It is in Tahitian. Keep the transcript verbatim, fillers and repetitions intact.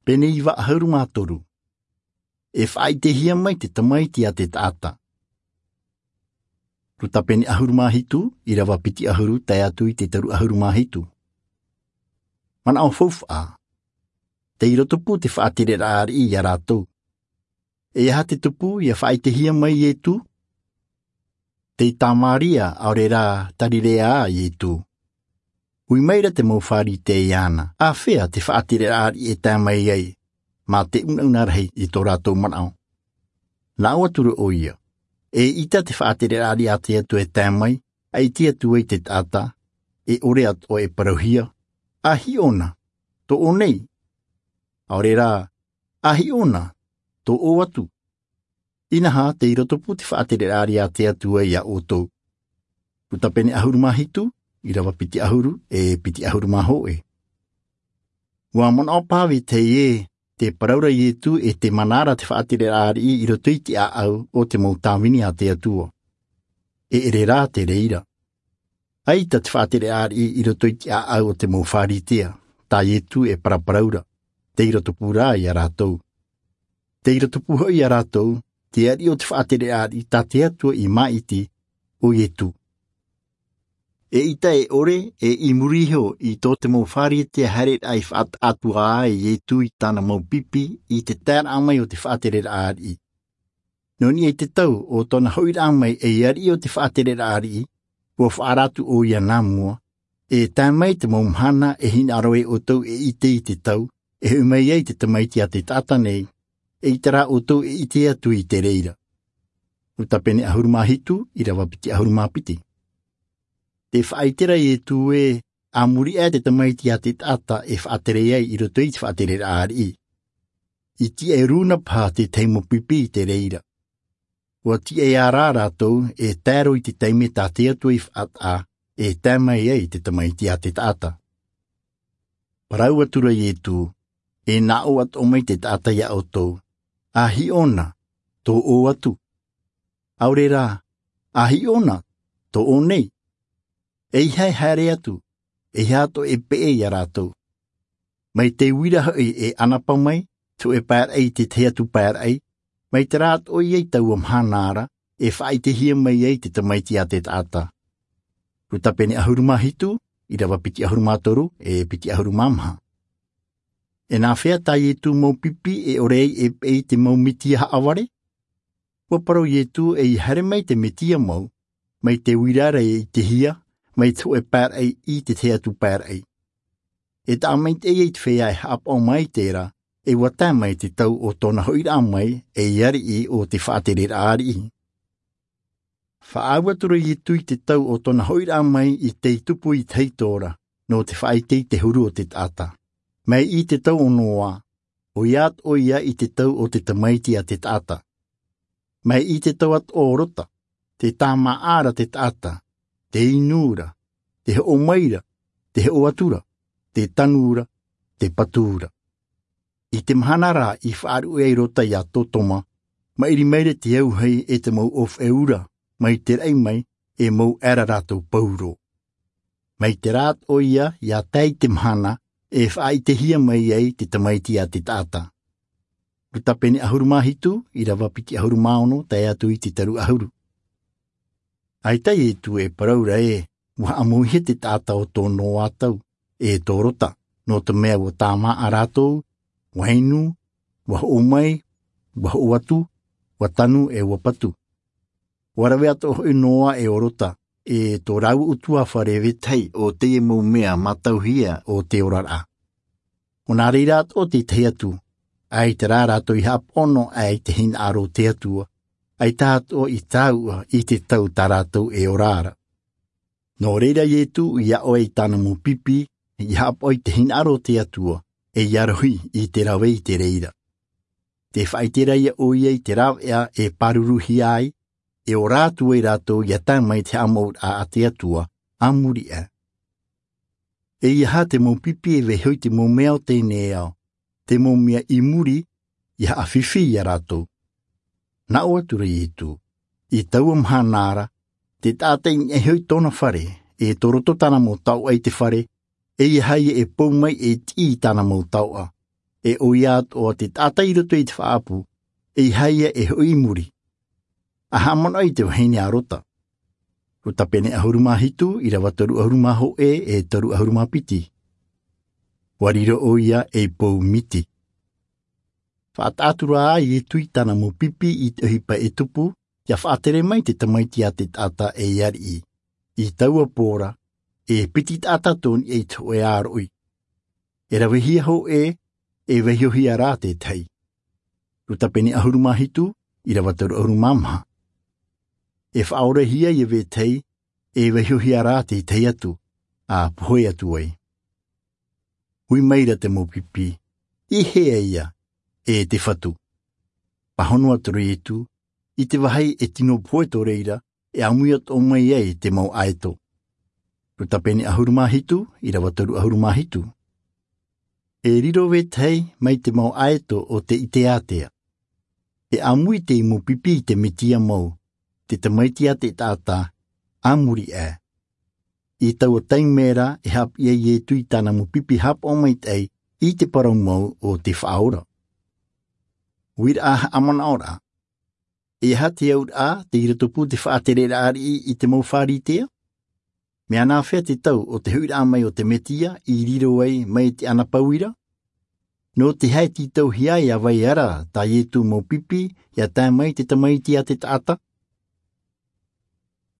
Pene iva ʻahuru mā toru. E faʻaʻitehia mai te Tamaiti a te taʻata. Luka pene ʻahuru mā hitu, ʻirava piti ʻahuru tae atu i te toru ʻahuru mā hitu. Manaʻo faufaʻa. Tei roto pū te faʻatereraʻa ariʻi ia rātou. E aha te tupu ia faʻaʻitehia mai Ietu? Tei Tamaria, ʻaore rā Tarirea a Ietu. Ui mai ra te mau Pharisea iāna, āfea te faʻatereraʻa ariʻi e tae mai ai, mā te unauna rahi i tō rātou manaʻo. Nā ʻō atu ra ʻoia, eʻita te faʻatereraʻa ariʻi a te Atua e tae mai, ʻaita atu ai te taʻata, e ʻore atoʻa e parauhia, ʻa hiʻo na, tō ʻō nei. ʻAore rā, ʻa hiʻo na, tō ʻō atu. Inaha, tei roto pū te faʻatereraʻa ariʻi a te Atua ia ʻoutou. Luka pene ʻahuru mā hitu, ʻirava piti ʻahuru, e piti ʻahuru mā hōʻē. ʻUa manaʻo paʻi teie, tē parau ra Ietu e tē mana ra te faʻatereraʻa ariʻi i roto i te ʻāʻau o te mau tāvini a te Atua. E ʻere rā te reira. ʻAita te faʻatereraʻa ariʻi i roto i te ʻāʻau o te mau Pharisea, tā Ietu e paraparau ra, tei roto pū rā ia rātou. Tei roto pū hoʻi ia rātou, te ariʻi o te faʻatereraʻa ariʻi tā te Atua i māʻiti, ʻo Ietu. Eʻita e ʻore, e i muri iho i tō te mau Pharisea haereraʻa i faʻataʻa atu ai Ietu i tāna mau pipi i te taeraʻa mai o te faʻatereraʻa ariʻi. Nō niʻa i te tau o tōna hoʻiraʻa mai ei ariʻi o te faʻatereraʻa ariʻi, ʻua faʻaara atu ʻoia nā mua, e tae mai te mau mahana e hinaʻaro ai ʻoutou e ʻite i te tau e hoʻi mai ai te Tamaiti a te taʻata nei, eʻita rā ʻoutou e ʻite atu i te reira. Luka pene ʻahuru mā hitu, ʻirava piti ʻahuru mā piti. Tē faʻaʻite ra Ietu ē, a muri aʻe te Tamaiti a te taʻata e faʻatere ai i roto i te faʻatereraʻa ariʻi. I tiʻa e rūna paha te tahi mau pipi i te reira. ʻUa tiʻa ā rā rātou e tae roa i te taime tā te Atua i faʻataʻa, e tae mai ai te Tamaiti a te taʻata. Parau atu ra Ietu, e nā ʻō atoʻa mai te taʻata ia ʻoutou, ʻa hiʻo na, tō ʻō atu. ʻAore rā, ʻa hiʻo na, tō ʻō nei. Eiaha e haere atu, eiaha atoʻa e peʻe ia rātou. Mai te uira hoʻi e ʻanapa mai, te hōʻē pae raʻi i te tahi atu pae raʻi, mai terā atoʻa ia i taua mahana ra, e faʻaʻitehia mai ai te Tamaiti a te taʻata. Luka pene ʻahuru mā hitu, ʻirava piti ʻahuru mā toru, e piti ʻahuru mā maha. E nāfea tā Ietu mau pipi e ʻore ai e peʻe i te mau metia haʻavare? ʻUa parau Ietu ʻeiaha haere mai te metia mau, mai te uira ra e ʻitehia, mai te hōʻē pae raʻi i te tahi atu pae raʻi. E taʻa maitaʻi i te feiā e haʻapaʻo mai i terā, e ʻua tae mai te tau o tōna hoʻiraʻa mai, ei ariʻi o te faʻatereraʻa ariʻi. Faʻaau atu ra Ietu i te tau o tōna hoʻiraʻa mai i tei tupu i te tahi ora, nō te faʻaʻite i te huru o te taʻata. Mai i te tau o Noa, ʻoia atoʻa ia i te tau o te Tamaiti a te taʻata. Mai i te tau atoʻa o Lota, tē tāmāʻa ra te taʻata, tē inu ra, tē hoʻo mai ra, tē hoʻo atu ra, tē tanu ra, tē patu ra. I te mahana rā i faʻaruʻe ai Lota ia Sotoma, maʻiri mai ra te auahi e te mau ʻōfaʻi ura, mai te raʻi mai, e mau ʻae ra rātou pauroa. Mai terā atoʻa ia, ʻia tae i te mahana, e faʻaʻitehia mai ai te Tamaiti a te taʻata. Luka pene ʻahuru mā hitu, ʻirava piti ʻahuru mā ono, tae atu i te toru ʻahuru. ʻAita Ietu e parau ra ē, ʻua haʻamauhia te taʻata o tō Noa tau, e tō Lota, nō te mea ʻua tāmāʻa rātou, ʻua inu, ʻua hoʻo mai, ʻua hoʻo atu, ʻua tanu e ʻua patu. ʻUa rave atoʻa hoʻi Noa e ʻo Lota, e tō rāua ʻutuāfare vetahi o teie mau mea mātauhia o te oraraʻa. ʻO nā reira atoʻa te tahi atu, ʻaita rā rātou i haʻapaʻo noa aʻe i te hinaʻaro o te Atua, ʻaita atoʻa i tāuʻa i te tau tā rātou e ora ra. Nō reira Ietu i aʻo ai i tāna mau pipi, i haʻapaʻo i te hinaʻaro o te Atua, e ʻia rohi i te rave i te reira. Tē faʻaʻite ra ïa ʻoia i te rāveʻa e pāruruhia ai, e ora atu ai rātou ʻia tae mai te haʻamouraʻa a te Atua, a muri aʻe. Eiaha te mau pipi e vaiiho i te mau mea o teie nei ao, te mau mea i muri, ʻia haʻafifi ia rātou. Nā ʻō atu ra Ietu, i taua mahana ra, te taʻata i niʻa iho i tōna fare, e tō roto tāna mau taoʻa i te fare, eiaha ïa e pou mai e tiʻi i tāna mau taoʻa. E ʻoia atoʻa te taʻata i roto i te faʻaʻapu, ʻeiaha ia e hoʻi i muri. A haʻamanaʻo i te vahine a Rota. Rota pene ʻahuru mā hitu, ʻirava toru ʻahuru mā hōʻē, e toru ʻahuru mā piti. ʻUa riro ʻoia ei pou miti. Faʻataʻa atu rā ʻo Ietu i tāna mau pipi i te ʻohipa e tupu, ʻia faʻatere mai te Tamaiti a te taʻata ei ariʻi. I taua pō ra, e piti taʻata tō niʻa i te hōʻē ʻāroʻi. E ravehia hōʻē, e vaihohia rā te tahi. Rota pene ʻahuru mā hitu, ʻirava toru ʻahuru mā maha. E faʻaorahia ia vetahi, e vaihohia rā te tahi atu, a pohe atu ai. Ui maira te mau pipi, i hea ia, e te Fatu. Pāhono atu ra Ietu, i te vāhi e tino pohe tō reira, e ʻāmui atoʻa mai ai te mau ʻaeto. Rota pene ʻahuru mā hitu, ʻirava toru ʻahuru mā hitu. E riro vetahi mai te mau ʻaeto o te ʻite ātea. E ʻāmui te mau pipi i te Metia mau, te Tamaiti a te taʻata, a muri aʻe. I taua taime ra e haʻapiʻi ai Ietu i tāna mau pipi haʻapaʻo maitaʻi i te parau mau o te Faʻaora. Uiraʻa haʻamanaʻoraʻa. E aha te auraʻa tei roto pū te faʻatereraʻa ariʻi i te mau Pharisea? Mea nāfea te tau o te hoʻiraʻa mai o te Metia i riro ai mai te ʻanapau ra? Nō te aha e tītauhia ai ʻa vai ra tā Ietu mau pipi ʻia tae mai te Tamaiti a te taʻata?